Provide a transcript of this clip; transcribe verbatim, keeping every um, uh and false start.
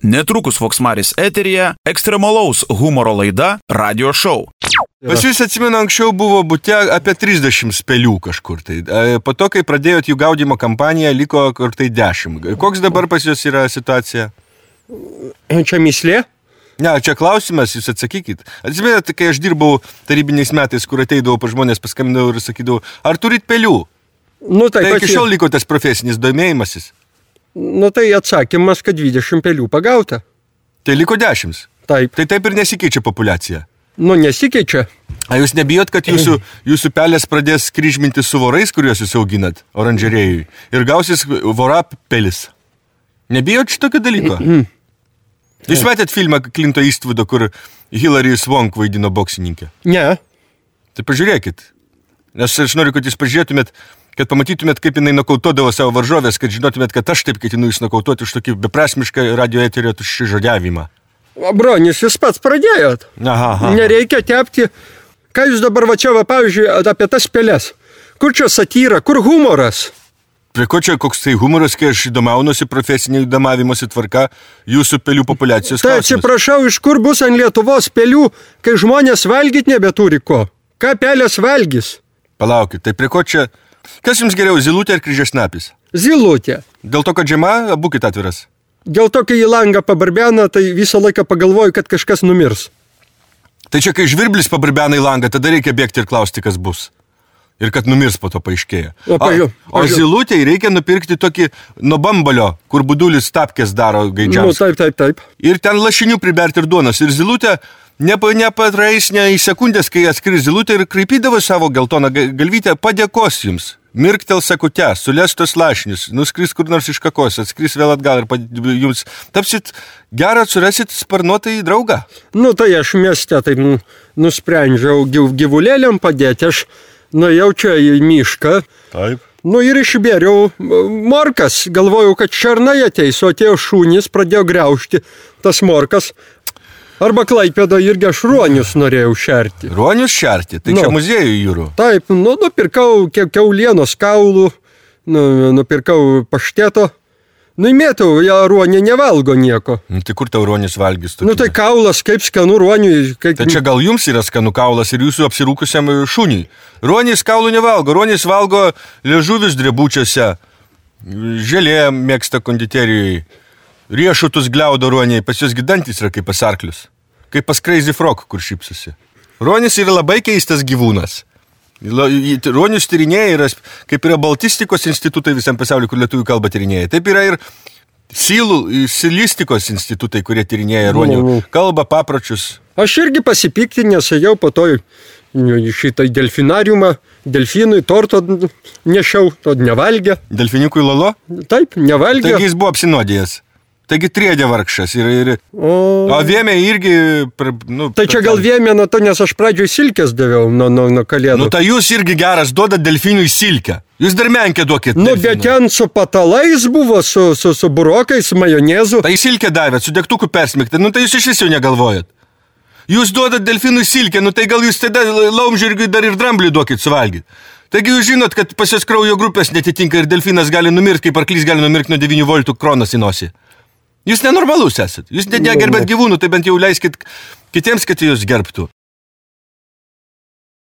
Netrukus Voksmaris eteryje ekstremalaus humoro laida Radio Show. Pas jūs atsimenu, anksčiau buvo bute apie trisdešimt spelių kažkur tai. Po to, kai pradėjot jų gaudymo kampaniją, liko kur tai dešimt. Koks dabar pas jūs yra situacija? Čia myslė? Ne, čia klausimas, jūs atsakykit. Atsimenat, kai aš dirbau tarybiniais metais, kur ateidavau pa žmonės, paskambindavau ir sakydavau, ar turit pelių? Nu, tai tai iki šiol liko tas profesinis domėjimasis. Nu, tai atsakymas, kad dvidešimt pelių pagauta. Tai liko dešimt. Taip. Tai taip ir nesikeičia populiacija. Nu, nesikeičia. A jūs nebijot, kad jūsų, jūsų pelės pradės kryžminti su vorais, kuriuos jūs auginat oranžerėjui, ir gausis vora pelis? Nebijot šitokio dalyko? Jūs matėt filmą Clinto Eastwoodo, kur Hilary Swank vaidino boksininkę? Ne. Tai pažiūrėkit. Nes aš noriu, kad jūs pažiūrėtumėt, kad pamatytumėt, kaip jinai nokautuodavo savo varžovės, kad žinotumėt, kad aš taip ketinu jūs nokautuoti už tokį beprasmišką radio eterio tuščią žodžiavimą. Bronis, jūs pats pradėjot. Aha, aha. Nereikia tepti. Ką jūs dabar va čia, va, pavyzdžiui, apie tas pelės? Kur čia satyra, kur humoras? Prie ko čia koks tai humoras, kai aš įdomaunuosi profesinė įdomavimosi tvarka jūsų pelių populiacijos Tai klausimas? atsiprašau, iš kur bus ant Lietuvos pelių, kai žmonės valgyt nebeturi ko? Ką pelės valgys? Palaukit, tai prie ko čia... Kas jums geriau, zylutė ar kryžiasnapis? Zylutė. Dėl to, kad žiema, būkit atviras. Dėl to, kai į langą pabarbena, tai visą laiką pagalvoju, kad kažkas numirs. Tai čia, kai žvirblis pabarbena į langą, tada reikia bėgti ir klausti, kas bus. Ir kad numirs po to paaiškėja. O, pažiū, o, o zylutėj reikia nupirkti tokį nuo bambalio, kur budulis tapkės daro gaidžiausiai. Nu, taip, taip, taip. Ir ten lašinių priberti ir duonos. Ir zylutė nepa, nepatrais ne į sekundės, kai atskris zylutė ir kraipydavo savo geltoną galvytę, padėkos jums. Mirktel sakute, sulestos lašinius, nuskris kur nors iš kakos, atskris vėl atgal ir pad... jums tapsit gerą, surasit sparnuotą į draugą. Nu, tai aš mieste taip nu, nusprendžiau gyv, gyvulėliam padėti, aš nuėjau čia į mišką. Taip. Nu ir išbėriau morkas, galvojau, kad šernai ateis, o atėjo šunys, pradėjo griaužti tas morkas. Arba Klaipėda irgi aš ruonius norėjau šerti. Ruonius šerti? Tai nu, čia muziejų jūrų? Taip, nu, nupirkau kiaulienos kaulų, nu, nupirkau pašteto. Nu, įmėtau, ja ruonė nevalgo nieko. Nu, tai kur tau ruonis valgys? Tokį? Nu, tai kaulas, kaip skanu ruoniui. Kaip... Tai čia gal jums yra skanu kaulas ir jūsų apsirūkusiam šuniui. Ruonis kaulų nevalgo, ruonis valgo liežuvis drebučiuose, želė mėgsta konditerijoje. Riešutus gliaudo ruoniai, pas jūs gidantis yra kaip pas arklius. Kaip pas Crazy Frog, kur šypsosi. Ruonis yra labai keistas gyvūnas. Ruonius tyrinėja yra, kaip yra baltistikos institutai visam pasauliu, kur lietuvių kalbą tyrinėja. Taip yra ir silų, silistikos institutai, kurie tyrinėja ruonių kalbą, papročius. Aš irgi pasipiktinęs, jau po to šitą delfinariumą, delfinui torto nešiau, to nevalgė. Delfinikui lolo? Taip, nevalgė. Taigi jis buvo apsinuodėjęs. Taigi triedė vargšas ir, ir... O, o vėmė irgi... Nu, tai čia gal vėmė nuo to, nes aš pradžioj silkės daviau nuo, nuo, nuo kalėdų. Nu, tai jūs irgi geras duodat delfinui silkę. Jūs dar menkę duokit. Nu, delfinui. Bet ten su patalais buvo, su, su, su burokais, su majonezu. Tai silkę davėt, su degtuku persmigti. Nu, tai jūs iš vis jau negalvojat. Jūs duodat delfinui silkę, nu, tai gal jūs tada laumžirgiui dar ir dramblį duokit suvalgyti. Taigi jūs žinot, kad pas jos kraujo grupės netitinka ir delfinas gali numirti, kaip arklys gali numirti nuo devynių voltų kronas į nosį. Jūs nenormalus esat. Jūs negerbėt gyvūnų, tai bent jau leiskit kitiems, kad jūs gerbtų.